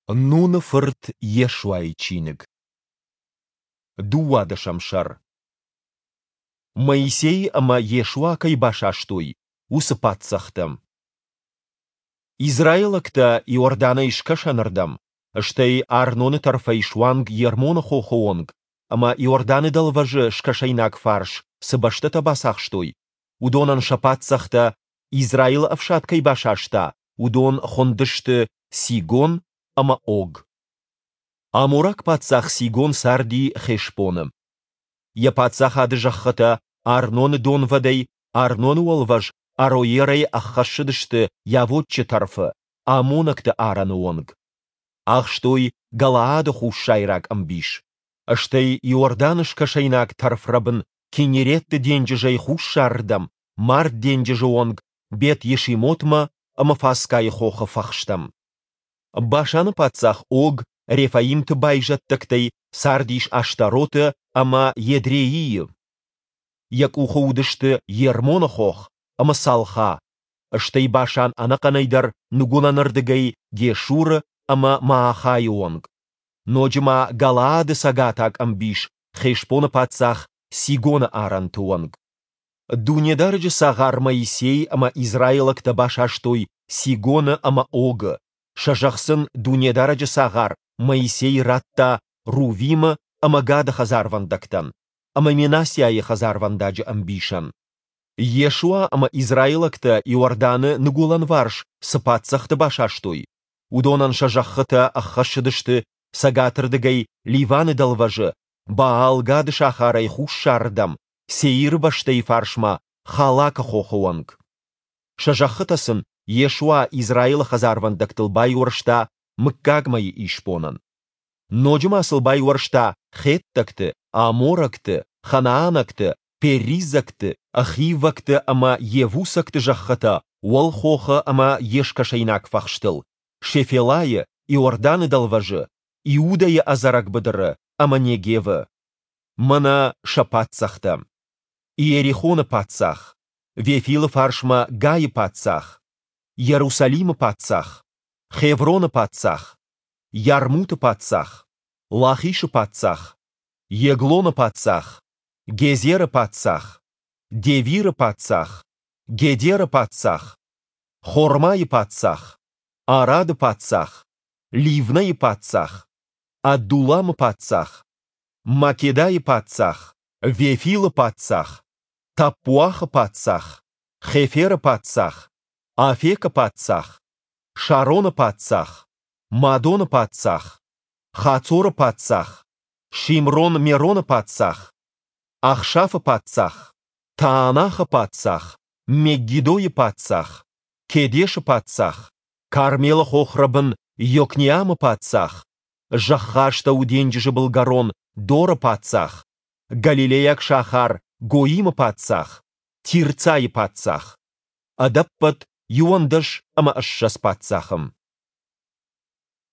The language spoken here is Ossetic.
Нуны фырт Йешуайы чиныг. Дыууадӕсӕм сӕр. Моисей ӕмӕ Йешуа кӕй басастой, уыцы паддзӕхтӕ. Израилӕгтӕ Иорданӕй скӕсӕнырдӕм, стӕй Арноны тӕрфӕй суанг Ермоны хохы онг ӕмӕ Иорданы дӕлвӕзы скӕсӕйнаг фарс цы бӕстӕтӕ бацахстой, уыдонӕн сӕ паддзӕхтӕ, Израилы ӕфсад кӕй басаста, уыдон хуындысты Сигон ӕмӕ Ог. Амораг паддзах Сигон царди Хешбоны. Йӕ паддзахады зӕххытӕ Арноны донвӕдӕй Арноны уӕлвӕз Ароерӕй ӕххӕссыдысты Йавоччы тӕрфы, аммонӕгты арӕны онг. Ахстой Галаады хуссайраг ӕмбис, стӕй Иорданы скӕсӕйнаг тӕрфрӕбын Киннереты денджызӕй хуссарырдӕм Мард денджызы онг Бет-Йешимотмӕ ӕмӕ Фасгайы хохы фӕхстӕм. Башаны паддзах Ог рефаимты байзӕддӕгтӕй цардис Аштароты ӕмӕ Едреийы. Йӕ къухы уыдысты Ермоны хох ӕмӕ Салха, стӕй Башан ӕнӕхъӕнӕй дӕр ныгуылӕнырдыгӕй Гешуры ӕмӕ Маахайы онг, ноджы ма Галаады цӕгатаг ӕмбис Хешбоны паддзах Сигоны арӕнты онг. Дунедарӕджы цагъар Моисей ӕмӕ израилӕгтӕ басастой Сигоны ӕмӕ Огы, сӕ зӕхх сын Дунедарӕджы цагъар Моисей радта Рувимы ӕмӕ Гады хӕдзарвӕндӕгтӕн ӕмӕ Менассиайы хӕдзарвӕндаджы ӕмбисӕн. Йешуа ӕмӕ израилӕгтӕ Иорданы ныгуылӕнварс цы паддзӕхты басастой, уыдонӕн сӕ зӕххытӕ ӕххӕссыдысты цӕгатырдыгӕй Ливаны дӕлвӕзы Баал-Гады сахарӕй хуссарырдӕм Сеиры бӕстӕйы фарсмӕ Халакы хохы онг. Сӕ зӕххытӕ сын Йешуа Израилы хӕдзарвӕндӕгтыл байуӕрста мыггагмӕйы исбонӕн. Ноджы ма сыл байуӕрста хеттӕгты, аморӕгты, ханаанӕгты, перизӕгты, хиввӕгты ӕмӕ йевусӕгты зӕххытӕ Уӕлхохы ӕмӕ йе скӕсӕйнаг фӕхстыл, Шефелайы, Иорданы дӕлвӕзы, Иудӕйы ӕдзӕрӕг быдыры ӕмӕ Негевы. Мӕнӕ сӕ паддзӕхтӕ: Иерихоны паддзах, Вефилы фарсмӕ Гайы паддзах, Иерусалимы паддзах, Хевроны паддзах, Ярмуты паддзах, Лахишы паддзах, Еглоны паддзах, Гезеры паддзах, Девиры паддзах, Гедеры паддзах, Хормайы паддзах, Арады паддзах, Ливнӕйы паддзах, Адуламы паддзах, Македайы паддзах, Вефилы паддзах, Таппуахы паддзах, Хеферы паддзах, Афекы паддзах, Шароны паддзах, Мадоны паддзах, Хацоры паддзах, Шимрон-Мероны паддзах, Ахшафы паддзах, Таанахы паддзах, Меггидойы паддзах, Кедешы паддзах, Кармелы хохрӕбын Йокнеамы паддзах, Зӕххастӕу денджызы былгӕрон Доры паддзах, галилейаг сахар Гоимы паддзах, Тирцайы паддзах. Ӕдӕппӕт 21 паддзахы.